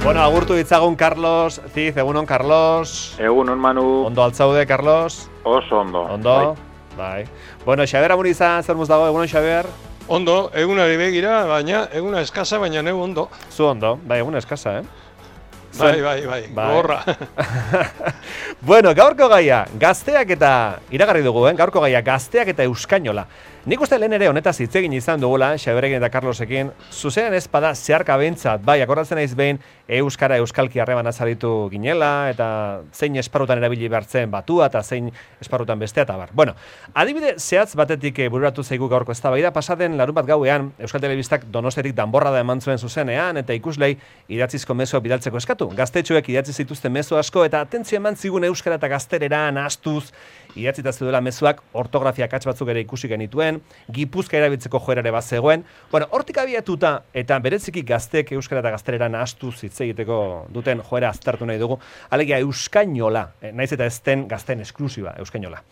Bueno, agurtu ditzagun Carlos Ziz, egunon Carlos. Egunon Manu. Ondo altzaude, Carlos? Oso ondo. Ondo? Bai. Bueno, Xabier Amurizan, zer muz dago, egunon Xabier? Ondo, egunari begira, baina eguna eskasa, baina neu ondo. Zu ondo, bai, egun eskasa, Bai, gorra. Bueno, gaurko gaia, gazteak eta, iragarri dugu, gaurko gaia, gazteak eta euskainola. Nik uste lehen ere honetaz hitz egin izan dugula, Xaberekin eta Carlosekin, zuzenean ez bada zeharka behintzat, bai, akordatzen naiz behin, euskara euskalki harreman azaritu ginela, eta zein esparrutan erabili behartzen batua, eta zein esparrutan bestea, eta bar. Bueno, adibide zehatz batetik bururatu zaigu gaurko eztabaida, pasaden larunbat gauean, Euskal Telebistak Donostiatik danborrada eman zuen zuzenean, eta ikuslei idatzizko mezuak bidaltzeko eskatu. Gaztetxoek idatzi zituzten mezu asko, eta atentzio eman zigun euskara eta gazterera nahastuz, idatzita zeudela mezuak ortografia akats batzuk ere ikusi genituen, Gipuzka erabiltzeko joerare bat zegoen. Bueno, hortik abiatuta eta bereziki gazteek euskara eta gaztelera nahastuz hitz egiteko duten joera aztertu nahi dugu. Alegia euskainola, naiz eta ez den gazten esklusiba euskainola.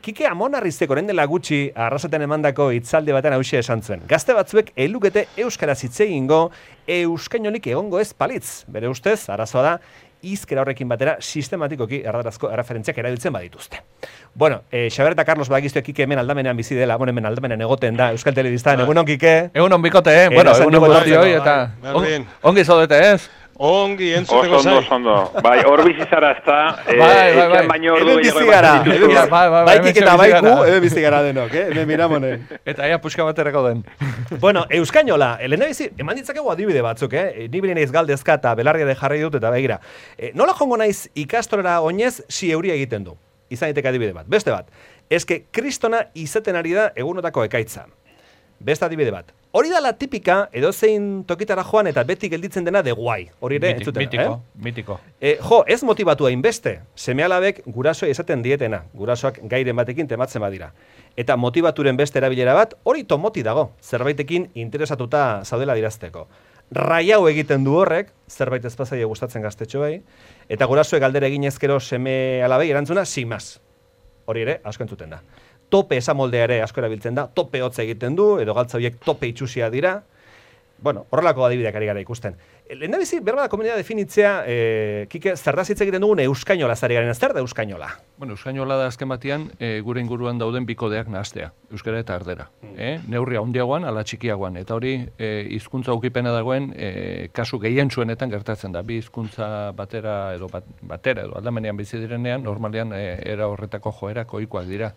Kike Amonarrizek orain dela gutxi arrasaten emandako hitzaldi batean hauxe esan zuen. Gazte batzuek ez lukete euskaraz hitz egingo euskainolik egongo ez palitz. Bere ustez, arazoa da, hizkera horrekin batera sistematikoki erdarazko erreferentziak erabiltzen badituzte. Bueno, Xabier eta Carlos badakizue Kike hemen aldamenean bizi dela, hemen aldamenean egoten da Euskal Telebistan. Egunon Kike. Egunon bikote, bueno, egunon guztioi eta ongi zaudete ez? Ongi entzuteko zai. Oso ondo. Bai, hor bizi zara ezta, bai. baino ordu Hemen bizi gara. Bai, Kike eta bai gu, hemen bizi gara denok, hemen miramonen. Eta ia puxka baterako den. Bueno, euskainola, lehendabizi, eman ditzakegu adibide batzuk, ni bine naiz galdezka eta belarria de jarri dut eta begira. Nola jongo naiz ikastorera oinez si euria egiten du? Izan daiteke adibide bat. Beste bat, eske kristona izaten ari da egunotako ekaitza. Beste adibide bat. Hori da la tipika, edozein tokitara joan eta beti gelditzen dena de guai. Hori ere, entzuten. Mitiko. Ez motibatu hainbeste. Seme-alabek gurasoa esaten dietena. Gurasoak gairen batekin tematzen badira. Eta motibaturen beste erabilera bat, hori tomoti dago. Zerbaitekin interesatuta zaudela dirazteko. Raiau egiten du horrek, zerbait ezpazaile gustatzen gaztetxoei, eta gurasoek galdera egin ezkero seme-alabei erantzuna, simaz. Hori ere, asko entzuten da. Tope esamoldea ere asko erabiltzen da, tope hotza egiten du, edo galtza horiek tope itxusia dira. Bueno, horrelako adibideak ari gara ikusten. Lehendabizi, berba da komunidad definitzea, Kike, zerdaz hitz egiten dugun euskainola zari garen, zer da euskainola? Bueno, euskainola da azken batean, gure inguruan dauden bikodeak nahastea, euskara eta erdera. Neurria handiagoan, ala txikiagoan, eta hori hizkuntza ukipena dagoen, kasu gehien zuenetan gertatzen da. Bi hizkuntza batera edo aldamenean bizi direnean, normalean era horretako joerak ohikoak dira.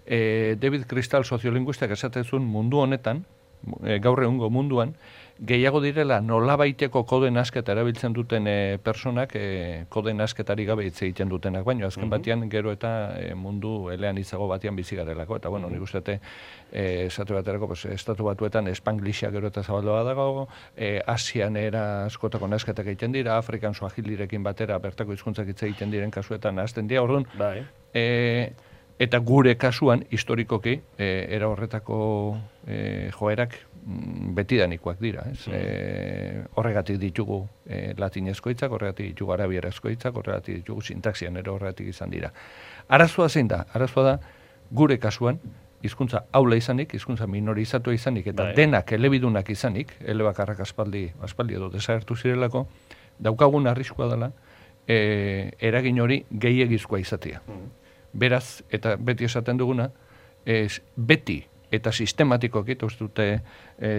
David Crystal soziolinguistak esatezun mundu honetan, gaur egungo munduan, gehiago direla nolabaiteko kode nasketa erabiltzen duten personak kode nasketari gabe hitz egiten dutenak, baina azken batean gero eta mundu elean izago batean bizi garelako, eta bueno, nik uste esate baterako estatu batuetan Spanglishia gero eta zabaldoa dago, Asian era askotako nasketak egiten dira, Afrikan Swahilirekin batera bertako hizkuntzak hitz egiten diren kasuetan hasten dira, orduan, eta gure kasuan, historikoki, era horretako joerak betidanikoak dira. Horregatik ditugu latinezko hitzak, horregatik ditugu arabierazko hitzak, horregatik ditugu sintaxian ere horregatik izan dira. Arazoa zein da? Arazoa da, gure kasuan, hizkuntza aula izanik, hizkuntza minorizatua izanik, eta denak elebidunak izanik, elebakarrak aspaldi edo desagertu zirelako, daukagun arriskua dela, eragin hori gehiegizkoa izatea. Beraz, eta beti esaten duguna, beti eta sistematikoki, eta uste dute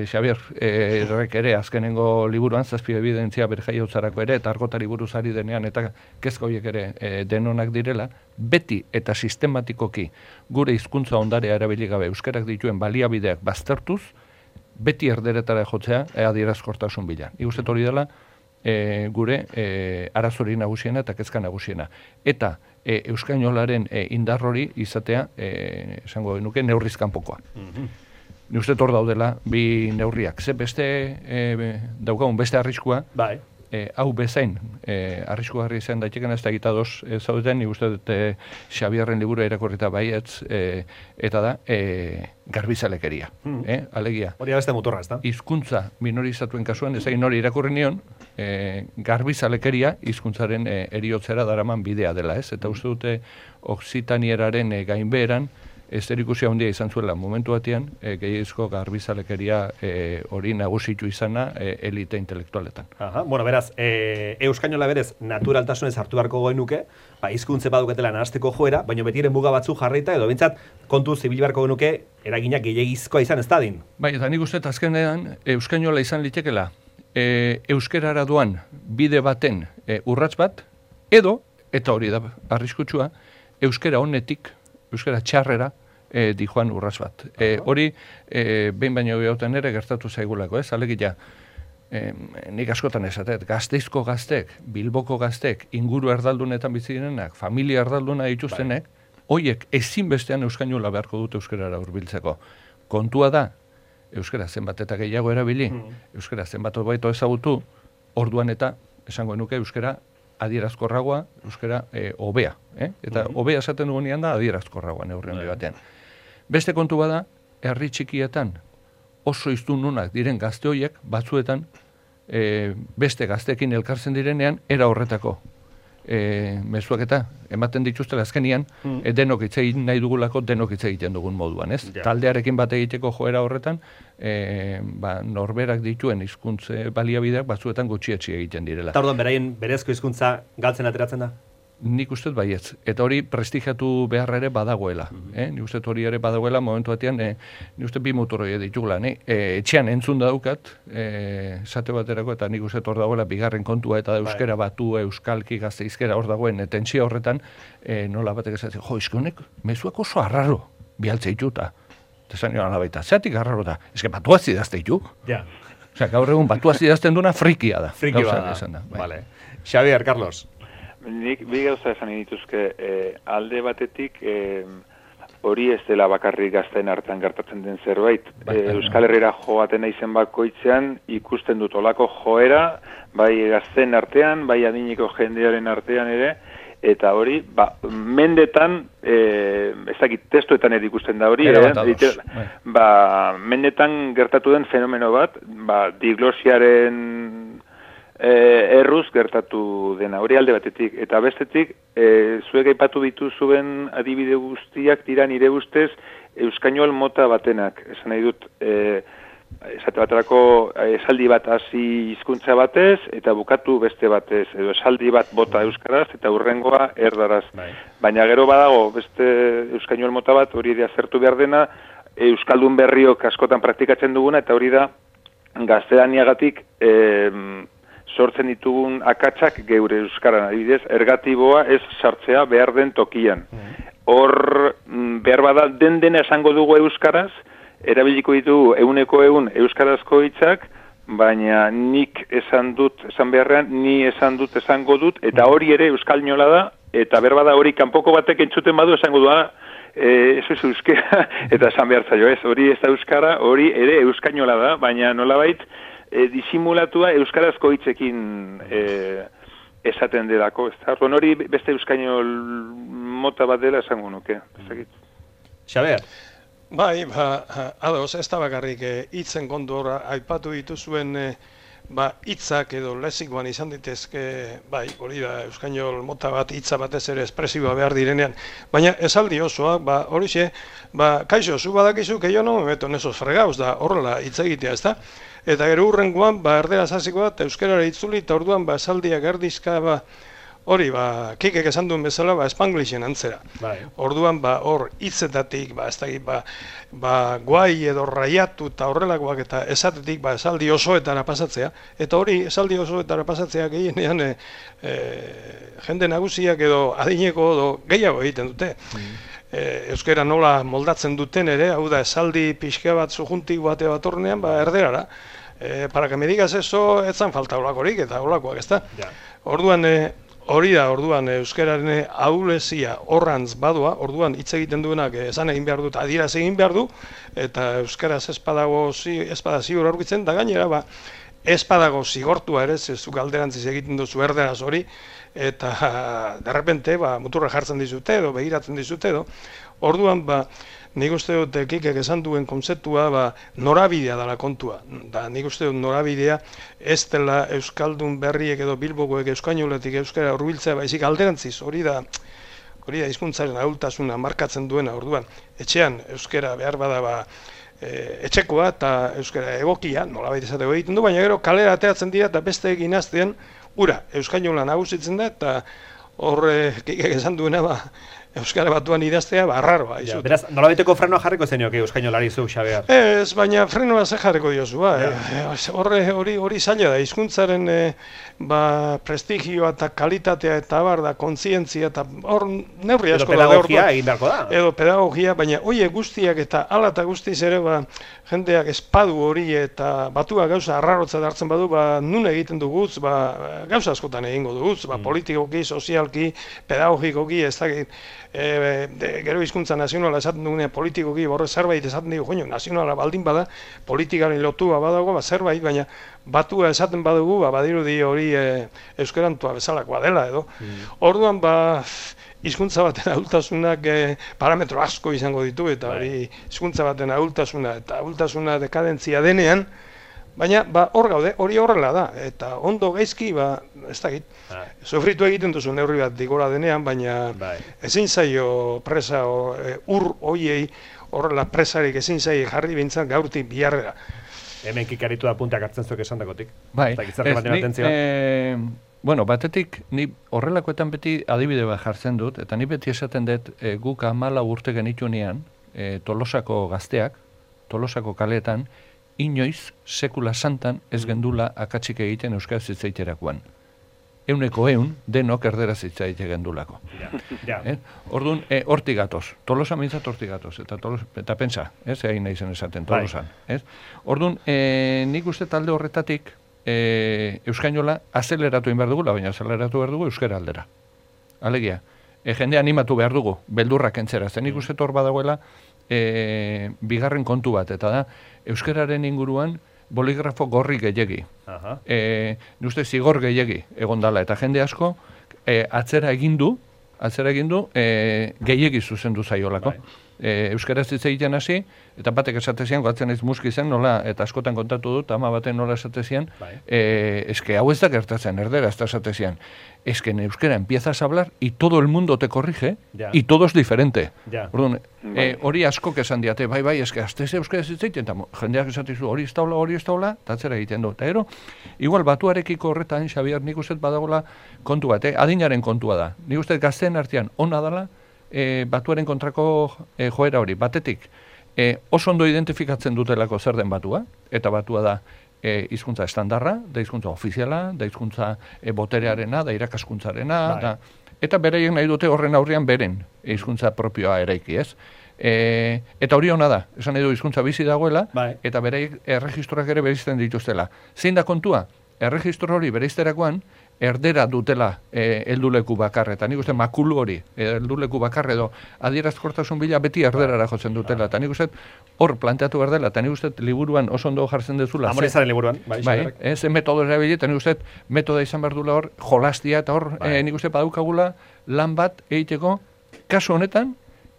Xabier errek ere azkenengo liburuan, zazpi evidentzia berjaiotzarako ere, eta argotari buruz ari denean, eta kezka horiek ere denonak direla, beti eta sistematikoki gure hizkuntza ondarea erabili gabe euskarak dituen baliabideak baztertuz, beti erderetara jotzea adierazkortasun bila. Iguzet hori dela, gure arazori nagusiena eta kezka nagusiena. Eta euskainolaren indar hori izatea, esango genuke, neurriz kanpokoa. Ni uste hor daudela bi neurriak. Ze beste daukagun beste arriskua, hau bezain arriskugarri izan daiteken ez da egitadoz zaudeten, ni uste dut Xabierren liburu irakurrita baietz, eta da garbizalekeria. Alegia. Hori beste motorra, ez da? Hizkuntza minorizatuen kasuan, ez egin hori irakurri nion, garbizalekeria hizkuntzaren eriotzera daraman bidea dela, ez? Eta uste dute Oksitanieraren gainbeheran zerikusia handia izan zuela momentu batean, gehiagizko garbizalekeria hori nagusitu izana elite intelektualetan. Bueno, beraz, euskainola berez naturaltasunez hartu beharko genuke, hizkuntze baduketela nahasteko joera, baina betiren muga batzu jarrita edo behintzat kontu zibil beharko genuke eraginak gehiagizkoa izan ez dadin. Bai, eta nik uste azkenean euskainola izan litekela euskerara doan bide baten urrats bat, edo, eta hori da arriskutsua, euskera honetik, euskera txarrera dijoan urrats bat. Hori, behin baino gehiagotan ere gertatu zaigulako, alegia, nik askotan esatet, Gasteizko gaztek, Bilboko gaztek, inguru erdaldunetan bizi direnak, familia erdalduna dituztenek, hoiek ezinbestean euskainola beharko dute euskerara hurbiltzeko. Kontua da, euskera zenbat eta gehiago erabili, euskera zenbat hobeto ezagutu, orduan eta esango nuke euskera adierazkorragoa, euskera hobea. Eta hobea esaten dugunean da adierazkorragoa neurri handi batean. Beste kontu bada, herri txikietan oso hiztununak diren gazte horiek batzuetan beste gazteekin elkartzen direnean era horretako mezuak eta ematen dituztela azkenian denok hitz egin nahi dugulako denok hitz egiten dugun moduan, ez? Ja. Taldearekin bat egiteko joera horretan norberak dituen hizkuntze baliabideak batzuetan gutxietsi egiten direla. Eta orduan beraien berezko hizkuntza galtzen ateratzen da? Nik uste baietz, eta hori prestigiatu beharra ere badagoela. Nik uste hori ere badagoela momentu batean, nik uste bi motoroi ditugula. Etxean entzun daukat, esate baterako, eta nik uste hor dagoela bigarren kontua, eta euskera batu, euskalki, gazteizkera hor dagoen, tentsia horretan, nola batek esatzen, izkonek, mezuak oso arraro, bialtze ituta. Eta esan joan alabaita, zeatik arraro da, eske batuaz idazte itu. Ja. Osea, gaur egun batuaz idazten duna frikia da. Frikia da. Vale. Xavier, Carlos. Nik bi gauza esan dituzke, alde batetik hori ez dela bakarrik gazteen hartan gertatzen den zerbait. Euskal Herrira joaten naizen bakoitzean ikusten dut olako joera, bai gazteen artean, bai adineko jendearen artean ere, eta hori, mendetan, ez dakit testuetan ere ikusten da hori, mendetan gertatu den fenomeno bat, diglosiaren erruz gertatu dena, hori alde batetik, eta bestetik, zuek aipatu dituzuen adibide guztiak dira nire ustez euskainol mota batenak, esan nahi dut, esate baterako esaldi bat hasi hizkuntza batez, eta bukatu beste batez, edo esaldi bat bota euskaraz, eta hurrengoa erdaraz. Baina gero badago, beste euskainol mota bat, hori ere azertu behar dena, euskaldun berriok askotan praktikatzen duguna, eta hori da, gaztelaniagatik, sortzen ditugun akatsak geure euskaran, adibidez, ergatiboa ez sartzea behar den tokian. Hor, behar bada dena esango dugu euskaraz, erabiliko ditugu 100% euskarazko hitzak, baina nik esan beharrean, ni esan dut, esango dut, eta hori ere euskainola da, eta behar bada hori kanpoko batek entzuten badu esango du, eso es euskera, eta esan behar zaio, hori ez da euskara, hori ere euskainola da, baina nolabait, disimulatua euskarazko hitzekin esaten delako, ez da? Hori beste euskainol mota bat dela esango nuke. Xaber? Bai, ados, ez da bakarrik hitzen kondora aipatu dituzuen hitzak edo lexikoan izan ditezke, bai, hori da, euskainol mota bat hitza batez ere espresiboa behar direnean, baina esaldi osoa, horixe, kaixo, zu badakizu, que yo no me meto en esos fregados, da horrela hitz egitea, ez da? Eta gero hurrengoan, erderaz hasiko bat, euskarara itzuli, eta orduan, esaldiak erdizka, hori, kikek esan duen bezala, espanglixen antzera. Orduan, hor, hitzetatik, ez dakit, guai edo raiatu eta horrelakoak eta esatetik, esaldi osoetara pasatzea. Eta hori, esaldi osoetara pasatzea gehienean, jende nagusiak edo adineko edo gehiago egiten dute. Euskera nola moldatzen duten ere, hau da, esaldi pixka bat zujuntik bate bat ornean, erderara. Para que me digas eso, etzan falta olakorik eta olakoak, ez da? Orduan, hori da, orduan, euskeraren ahulezia horrantz badua, orduan hitz egiten duenak esan egin behar dut, adieraz egin behar du, eta euskaraz espada ziur aurkitzen, da gainera, espadago zigortua ere, zezuk alderantziz egiten duzu erderaz hori, eta derrepente, muturra jartzen dizute edo, begiratzen dizute edo, orduan, nik uste dut kikek esan duen konzeptua norabidea dela kontua. Nik uste dut norabidea ez dela euskaldun berriek edo bilbokoek euskainoletik euskara hurbiltzea, baizik alderantziz, hori da hori da hizkuntzaren ahultasuna markatzen duena orduan. Etxean euskara behar bada etxekoa eta euskara egokia, nolabait esateko egiten du, baina gero kalera ateratzen dira eta beste egin aztean, ura, euskainola nagusitzen da, eta hor esan duena Euskara Batuan idaztea, arraroa. Ja, beraz, nolabaiteko frenoa jarriko zenioke euskainolari zu, Xabier? Ez, baina frenoa ze jarriko diozu, hori zaila da, hizkuntzaren prestigioa eta kalitatea eta da, kontzientzia eta hor neurri asko da. Edo pedagogia egin beharko da. Edo pedagogia, baina hoiek guztiak eta ala eta guztiz ere, jendeak espadu hori eta batua gauza arrarotza hartzen badu, nun egiten duguz, gauza askotan egingo duguz, politikoki, sozialki, pedagogikoki, ez dakit, gero hizkuntza nazionala esaten dugunean politikoki borre zerbait esaten dugu, joño, nazionala baldin bada, politikaren lotua badago, zerbait, baina batua esaten badugu, badirudi hori euskerantua bezalakoa dela edo. Orduan, hizkuntza baten ahultasunak parametro asko izango ditu, eta hori hizkuntza baten ahultasuna dekadentzia denean, baina hor gaude, hori horrela da, eta ondo gaizki, ez dakit, sofritu egiten duzu neurri bat digora denean, baina ezin zaio presa hoiei, horrela presarik ezin zaio jarri bintzan gaurtik biharrera. Hemen kikaritu da puntak hartzen zuek esan dakotik. Bai, bueno, batetik, ni horrelakoetan beti adibide bat jartzen dut, eta ni beti esaten dut guk 14 urte genitunean, Tolosako gazteak, Tolosako kaleetan, inoiz, sekula santan ez gendula akatsik egiten euskaraz hitzaiterakoan. 100% denok erderaz hitzaite gendulako. Orduan, hortik gatoz. Tolosa mintzat hortik gatoz. Eta pentsa, egin nahi zen esaten, Tolosan. Orduan, nik uste talde horretatik euskainola azeleratu egin behar dugula, baina azeleratu behar dugu euskara aldera. Alegia, jende animatu behar dugu, beldurrak entzera. Nik uste hor badagoela bigarren kontu bat, eta da, euskararen inguruan boligrafo gorri gehiegi. Uste zigor gehiegi egon dala, eta jende asko atzera egindu gehiegi zuzendu zaiolako. Euskaraz hitz egiten hasi, eta batek esatezian, goatzen ez muski zen, nola, eta askotan kontatu dut, ama baten nola esatezian, eske hau ez da gertatzen, erdera ez da esatezian. Es que en euskera empiezas a hablar y todo el mundo te corrige y todo es diferente. Orduan, hori askok esan diate, bai, eske aztez euskaraz hitz egiten, eta jendeak esatizu hori ez daula, eta atzera egiten du. Eta ero, igual batuarekiko horretan, Xabier, nik uste badagola kontu bat, adinaren kontua da. Nik uste gazteen artean ona dala, batuaren kontrako joera hori, batetik, oso ondo identifikatzen dutelako zer den batua, eta batua da hizkuntza estandarra, da hizkuntza ofiziala, da hizkuntza boterearena, da irakaskuntzarena, eta beraiek nahi dute horren aurrean beren hizkuntza propioa eraiki, ez? Eta hori ona da, esan nahi du hizkuntza bizi dagoela, eta beraiek erregistroak ere bereizten dituztela. Zein da kontua? Erregistro hori bereizterakoan, erdera dutela helduleku bakar, eta nik uste makulu hori, helduleku bakar edo adierazkortasun bila beti erderara jotzen dutela, eta nik uste hor planteatu behar dela, eta nik uste liburuan oso ondo jartzen dezula. Amorizaren liburuan. Ze metodo erabili, eta nik uste metoda izan behar dula hor, jolastia, eta hor nik uste badaukagula lan bat egiteko, kasu honetan,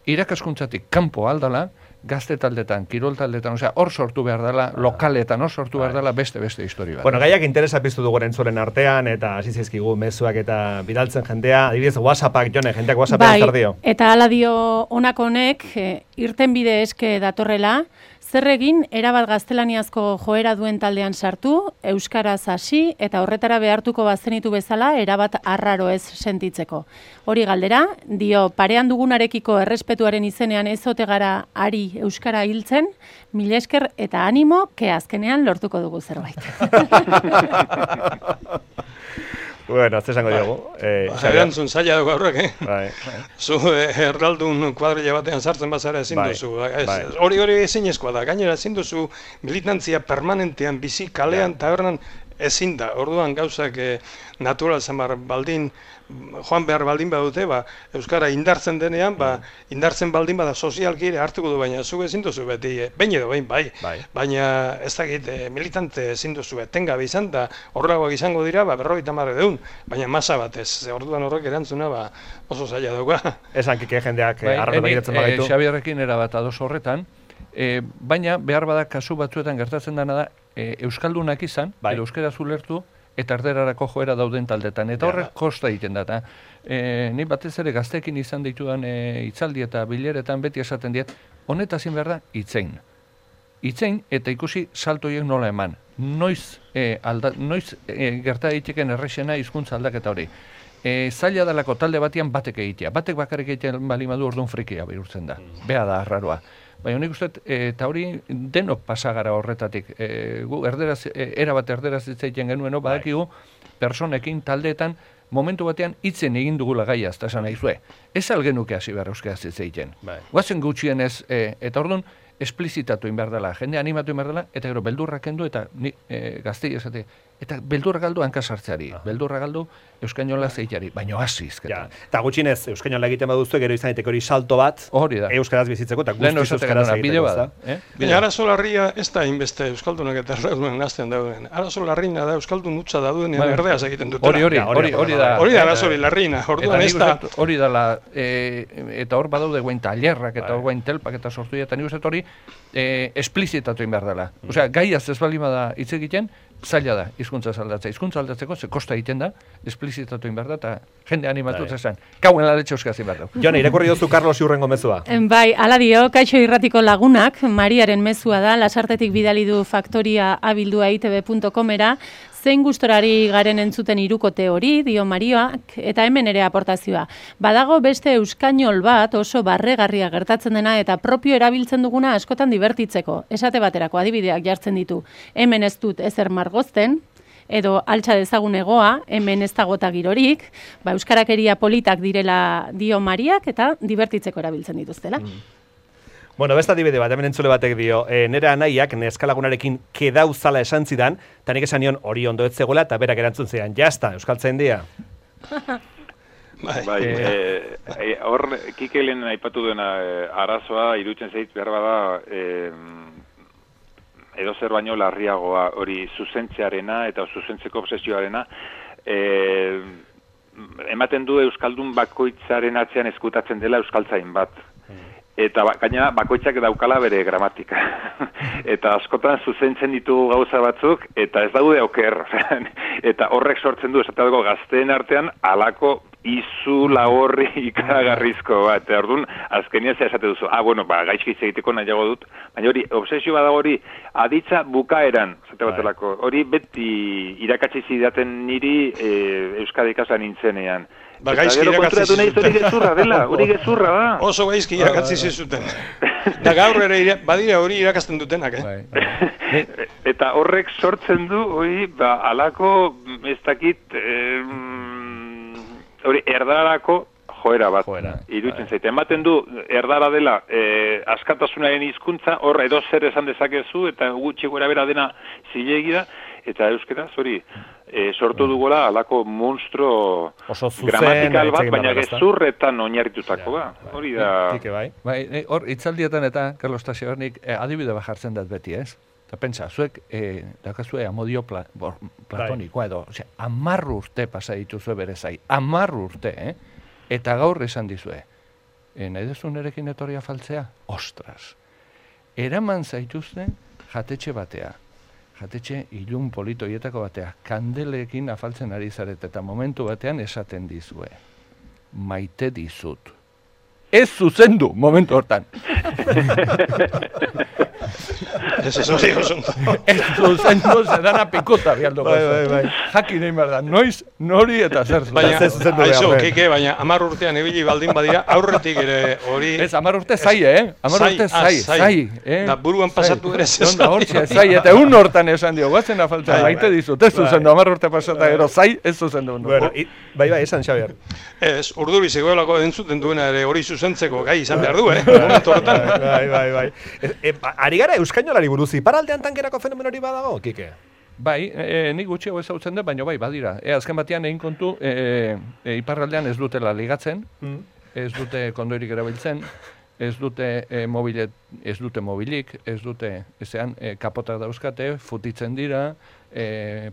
irakaskuntzatik kanpo aldala, gazte taldetan, kirol taldetan, hor sortu behar dela, lokaletan hor sortu behar dela beste historia bat. Bueno, gaiak interesa piztu dugu entzulen artean, eta hasi zaizkigu mezuak eta bidaltzen jendea, adibidez WhatsAppak, Jone, jendeak WhatsAppean zer dio. Eta hala dio honako honek, irtenbide eske datorrela, zer egin erabat gaztelaniazko joera duen taldean sartu, euskaraz hasi eta horretara behartuko bazenitu bezala erabat arraro ez sentitzeko. Hori galdera, dio parean dugunarekiko errespetuaren izenean ez ote gara ari euskara hiltzen, mila esker eta animo, ke azkenean lortuko dugu zerbait. Bueno, ez esango diogu. Erantzun zaila dugu aurrek, Zu erdaldun kuadrilla batean sartzen bazara ezin duzu. Hori ezinezkoa da, gainera ezin duzu militantzia permanentean bizi kalean tabernan ezin da. Orduan gauzak natural zamar baldin, joan behar baldin badute, euskara indartzen denean, indartzen baldin bada sozialki ere hartuko du, baina zu ezin duzu beti, behin edo behin, baina ez dakit militante ezin duzu etengabe izan, da horregoak izango dira, 50 baina masa batez, orduan horrek erantzuna oso zaila dauka. Esan kike jendeak arraro begiratzen bagaitu. Xabierrekin erabat ados horretan, baina behar bada kasu batzuetan gertatzen dena da, euskaldunak izan, edo euskaraz ulertu, eta erderarako joera dauden taldetan, eta horrek kosta egiten da, eta ni batez ere gazteekin izan ditudan hitzaldi eta bileretan beti esaten diet, honetaz zin behar da, itzein eta ikusi saltoiek nola eman, noiz gerta daiteken errexena hizkuntza aldaketa hori. Zaila dalako talde batean batek egitea. Batek bakarrik egiten balimadu orduan frikia bihurtzen da. Bea da, arraroa. Baina nik uste, eta hori denok pasagara horretatik. Gu erabat erderaz hitzaiten genueno, badakigu personekin, taldeetan, momentu batean hitzen egin dugula gaiaz, eta esan nahizue. Ez algenuke hasi behar euskaraz hitzaiten. Guazen gutxienez, eta orduan, esplizitatu inbehar dela, jende animatu inbehar dela, eta gero beldurrak kendu, eta gaztei esate, eta beldurrak galdu hankasartzeari, beldurrak galdu euskainola zeitari, baino hasi izketan. Eta gutxinez, euskainola egiten baduzu, gero izan daiteke hori salto bat, hori da. euskaraz bizitzeko, eta guztiz euskaraz egiteko. Baina arazo larria ez da inbeste euskaldunak eta erdedunen gazten dauden. Arazo larrina da euskaldun hutsa daudenean erdeaz egiten dutela. Hori da. Hori da arazo larrina, orduan ez da. Hori dela, eta hor badaude guen tailerrak, eta hor guen telpak eta sortu eta nik uste hori esplizitatu inbehar dela. Osea, gaiaz ez balimada hitz egiten, zaila da, hizkuntza aldatzea. Hizkuntza aldatzeko, ze kosta egiten da, esplizitatu inbehar da, eta jende animatu zesan. Kauen laletxe euskaz inbehar da. Jone, irakurri dozu Carlos Iurrengo mezua. Bai, ala dio, Kaixo Irratiko lagunak, Mariaren mezua da, Lasartetik bidali du faktoria abildua itb.comera, zein gustorari garen entzuten hirukote hori, dio Marioak, eta hemen ere aportazioa. Badago beste euskainol bat oso barregarria gertatzen dena eta propio erabiltzen duguna askotan dibertitzeko. Esate baterako adibideak jartzen ditu. Hemen ez dut ezer margozten, edo altxa dezagun egoa, hemen ez dagota girorik, euskarakeria politak direla dio Mariak eta dibertitzeko erabiltzen dituztela. Bueno, beste adibide bat, hemen entzule batek dio, nire anaiak neskalagunarekin kedauzala esan zidan, eta nik esan nion hori ondo ez zegoela, eta berak erantzun zidan, jazta, euskaltzen dia. Hor, Kikelen aipatu duena arazoa, irutzen zait behar bada, edo zer baino larriagoa, hori zuzentzearena eta zuzentzeko obsesioarena, ematen du euskaldun bakoitzaren atzean eskutatzen dela euskaltzain bat. Eta gainera bakoitzak daukala bere gramatika. Eta askotan zuzentzen ditugu gauza batzuk, eta ez daude oker. Eta horrek sortzen du, esateko gazteen artean, alako izu lagorri ikaragarrizko bat. Eta orduan, azkenian esate duzu, gaizki hitz egiteko nahiago dut, baina hori, obsesio badago hori, aditza bukaeran, esate batelako, hori beti irakatsi zidaten niri Euskadi ikasan nintzenean. Gaizki irakatzi zizuten. Hori gezurra da. Oso gaizki irakatzi zizuten. Da gaur ere badira hori irakasten dutenak, Eta horrek sortzen du, hori, alako, ez dakit, hori, erdarako joera bat. Irutzen zaite. Ematen du, erdara dela, askatasunaren hizkuntza, hor edo zer esan dezakezu, eta gutxi gora bera dena zilegi da, eta euskaraz, hori, sortu dugola alako monstro gramatikal bat, baina gezurretan oinarritutako da. Hori da... Hor, itzaldietan eta, Carlos Tasionik, adibide bat jartzen dut beti, ez? Eta pentsa, zuek, dakazue amodio platonikoa edo, 10 urte pasa dituzue bere zai, 10 urte, Eta gaur esan dizue, nahi dezu nerekin etorria faltzea? Ostras! Eraman zaituzte jatetxe batea. Jatetxe ilun politoietako batea, kandelekin afaltzen ari zaret, eta momentu batean esaten dizue. Maite dizut. Ez zuzendu, momentu hortan. Ez zuzendu. Ez zuzendu, zedana pikota bialduko. Jakin egin behar da, noiz, nori eta zer zuzendu. Baina 10 urtean ibili baldin badira, aurretik ere hori... Ez, 10 urte zai, 10 urte zai. Da buruan pasatu ere zai, eta egun hortan esan dio, guazen afaltzen, maite dizut, ez zuzendu, 10 urte pasata ero zai, ez zuzendu. Bai, esan, Xabier. Ez, urduri zegoelako entzuten duena ere hori zuzentzeko gai izan behar du, momentu horretan. Bai. Ari gara euskainolari buruz, iparaldean tankerako fenomen hori badago, Kike? Bai, nik gutxiago ezautzen dut, baina bai, badira. Azken batean egin kontu, iparraldean ez dutela ligatzen, ez dute kondoirik erabiltzen, ez dute mobilik, ez dute, ezean, kapotak dauzkate, futitzen dira,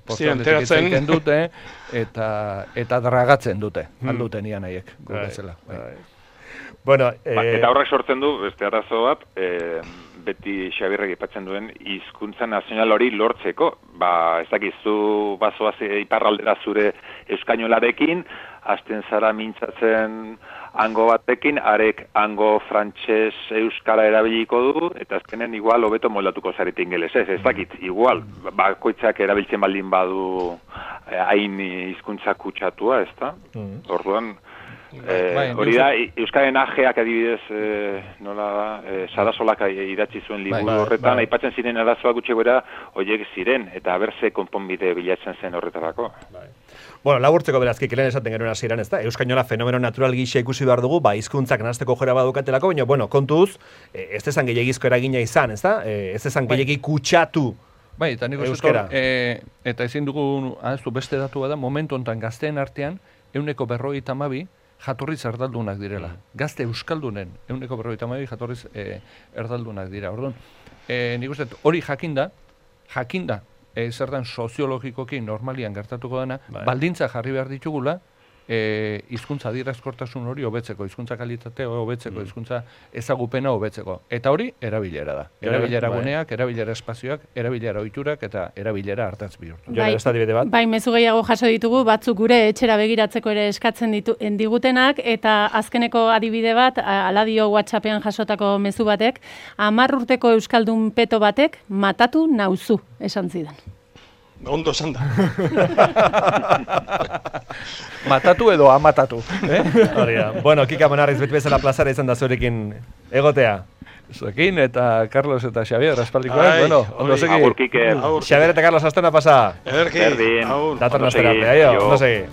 postaldetik egiten dute, eta dragatzen dute, alduten ian haiek, gure zela. Bueno, eta horrek sortzen du, beste arazo bat, beti Xabierrek aipatzen duen hizkuntza nazional hori lortzeko. Ez dakizu bazoaz iparraldera zure euskainolarekin, hasten zara mintzatzen hango batekin, arek hango frantses euskara erabiliko du, eta azkenen igual hobeto moldatuko zarete ingelesez, ez dakit, igual, bakoitzak erabiltzen baldin badu hain hizkuntza kutsatua, ez da? Orduan, hori da, euskaren ajeak adibidez, nola da, Sarasolak idatzi zuen liburu horretan, aipatzen ziren arazoak gutxi gora, horiek ziren, eta berze konponbide bilatzen zen horretarako. Bueno, laburtzeko berazkik lehen esaten genuen hasieran, ez da? Euskainola fenomeno natural gisa ikusi behar dugu, hizkuntzak nahasteko jora badukatelako, baina, bueno, kontuz, ez ezan gehiagizko eragina izan, ez da? Ez ezan gehiagi kutsatu eta nik euskara. Eta ezin dugu, beste datu bada, momentu honetan gazteen artean, 152 jatorriz erdaldunak direla. Gazte euskaldunen 152 jatorriz erdaldunak dira. Orduan, nik uste hori jakinda, zertan soziologikoki normalian gertatuko dena, baldintza jarri behar ditugula, hizkuntza adierazkortasun hori hobetzeko, hizkuntza kalitatea hobetzeko, hizkuntza ezagupena hobetzeko. Eta hori erabilera da. Erabilera guneak, erabilera espazioak, erabilera ohiturak eta erabilera hartaz bihurtu. Bai, mezu gehiago jaso ditugu, batzuk gure etxera begiratzeko ere eskatzen digutenak, eta azkeneko adibide bat, aladio WhatsAppean jasotako mezu batek, 10 urteko euskaldun peto batek matatu nauzu, esan zidan. Ondo esan da. Matatu edo amatatu. Bueno, Kika Monarriz beti bezala plazara izan da zurekin egotea. Zuekin eta Carlos eta Xavier, aspaldikoak, bueno, ondo segi. Agur, Kike. Xavier eta Carlos, astena pasa. Ederki. Berdin. Dator nostera, ondo segi.